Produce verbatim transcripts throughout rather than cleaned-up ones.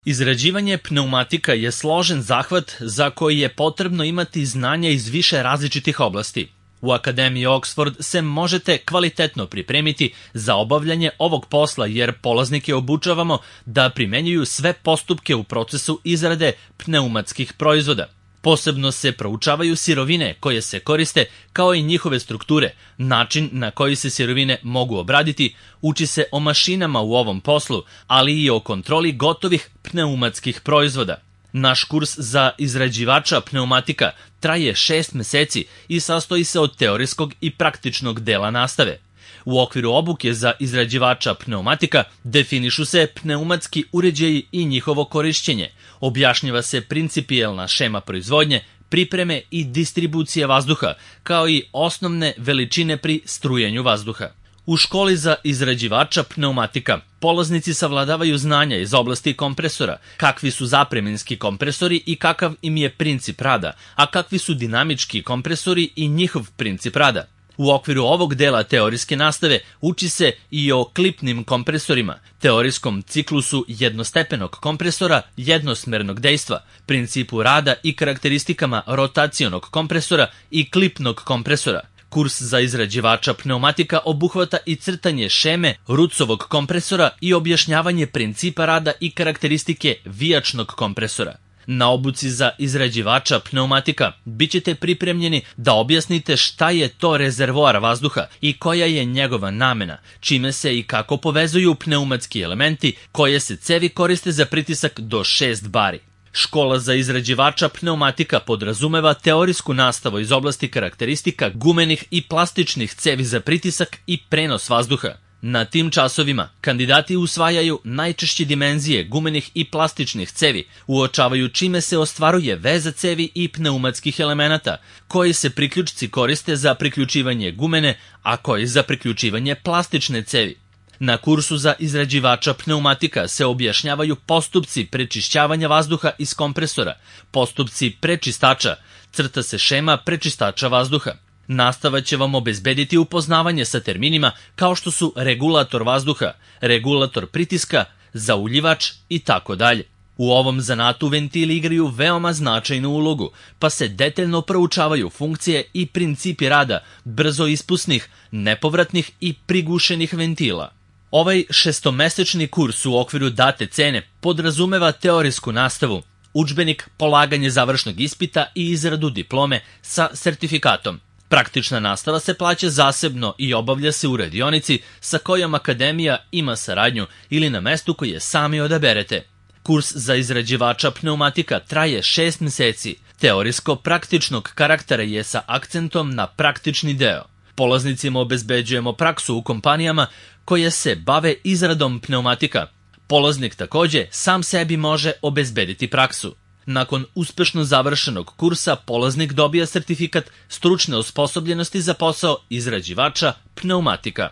Izrađivanje pneumatika je složen zahvat za koji je potrebno imati znanja iz više različitih oblasti. U Akademiji Oxford se možete kvalitetno pripremiti za obavljanje ovog posla jer polaznike obučavamo da primenjuju sve postupke u procesu izrade pneumatskih proizvoda. Posebno se proučavaju sirovine koje se koriste kao i njihove strukture, način na koji se sirovine mogu obraditi, uči se o mašinama u ovom poslu, ali i o kontroli gotovih pneumatskih proizvoda. Naš kurs za izrađivača pneumatika traje šest meseci i sastoji se od teorijskog i praktičnog dela nastave. U okviru obuke za izrađivača pneumatika definišu se pneumatski uređaji i njihovo korišćenje, objašnjava se principijelna šema proizvodnje, pripreme i distribucije vazduha, kao i osnovne veličine pri strujenju vazduha. U školi za izrađivača pneumatika polaznici savladavaju znanja iz oblasti kompresora, kakvi su zapremenski kompresori i kakav im je princip rada, a kakvi su dinamički kompresori i njihov princip rada. U okviru ovog dela teorijske nastave uči se i o klipnim kompresorima, teorijskom ciklusu jednostepenog kompresora jednosmernog dejstva, principu rada i karakteristikama rotacionog kompresora i klipnog kompresora. Kurs za izrađivača pneumatika obuhvata i crtanje šeme Rucovog kompresora i objašnjavanje principa rada i karakteristike vijačnog kompresora. Na obuci za izrađivača pneumatika bit ćete pripremljeni da objasnite šta je to rezervoar vazduha i koja je njegova namena, čime se i kako povezuju pneumatski elementi, koje se cevi koriste za pritisak do šest bari. Škola za izrađivača pneumatika podrazumeva teorijsku nastavu iz oblasti karakteristika gumenih i plastičnih cevi za pritisak i prenos vazduha. Na tim časovima kandidati usvajaju najčešće dimenzije gumenih i plastičnih cevi, uočavaju čime se ostvaruje veza cevi i pneumatskih elemenata, koji se priključci koriste za priključivanje gumene, a koji za priključivanje plastične cevi. Na kursu za izrađivača pneumatika se objašnjavaju postupci prečišćavanja vazduha iz kompresora, postupci prečistača, crta se šema prečistača vazduha. Nastava će vam obezbediti upoznavanje sa terminima kao što su regulator vazduha, regulator pritiska, zauljivač i tako dalje. U ovom zanatu ventili igraju veoma značajnu ulogu, pa se detaljno proučavaju funkcije i principi rada brzo ispusnih, nepovratnih i prigušenih ventila. Ovaj šestomesečni kurs u okviru date cene podrazumeva teorijsku nastavu, udžbenik, polaganje završnog ispita i izradu diplome sa sertifikatom. Praktična nastava se plaća zasebno i obavlja se u radionici sa kojom Akademija ima saradnju ili na mestu koje sami odaberete. Kurs za izrađivača pneumatika traje šest meseci, teorijsko-praktičnog karaktera je sa akcentom na praktični deo. Polaznicima obezbeđujemo praksu u kompanijama koje se bave izradom pneumatika. Polaznik takođe sam sebi može obezbediti praksu. Nakon uspešno završenog kursa, polaznik dobija sertifikat stručne osposobljenosti za posao izrađivača pneumatika.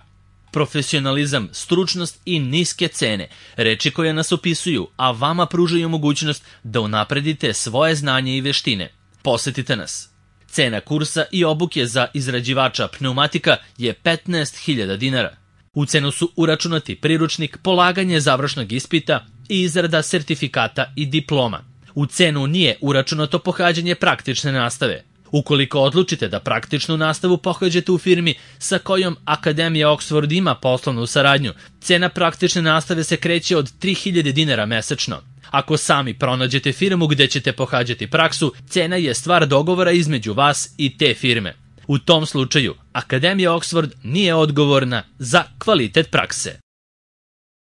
Profesionalizam, stručnost i niske cene, reči koje nas opisuju, a vama pružaju mogućnost da unapredite svoje znanje i veštine. Posetite nas. Cena kursa i obuke za izrađivača pneumatika je petnaest hiljada dinara. U cenu su uračunati priručnik, polaganje završnog ispita i izrada sertifikata i diploma. U cenu nije uračunato pohađanje praktične nastave. Ukoliko odlučite da praktičnu nastavu pohađate u firmi sa kojom Akademija Oxford ima poslovnu saradnju, cena praktične nastave se kreće od tri hiljade dinara mesečno. Ako sami pronađete firmu gde ćete pohađati praksu, cena je stvar dogovora između vas i te firme. U tom slučaju, Akademija Oxford nije odgovorna za kvalitet prakse.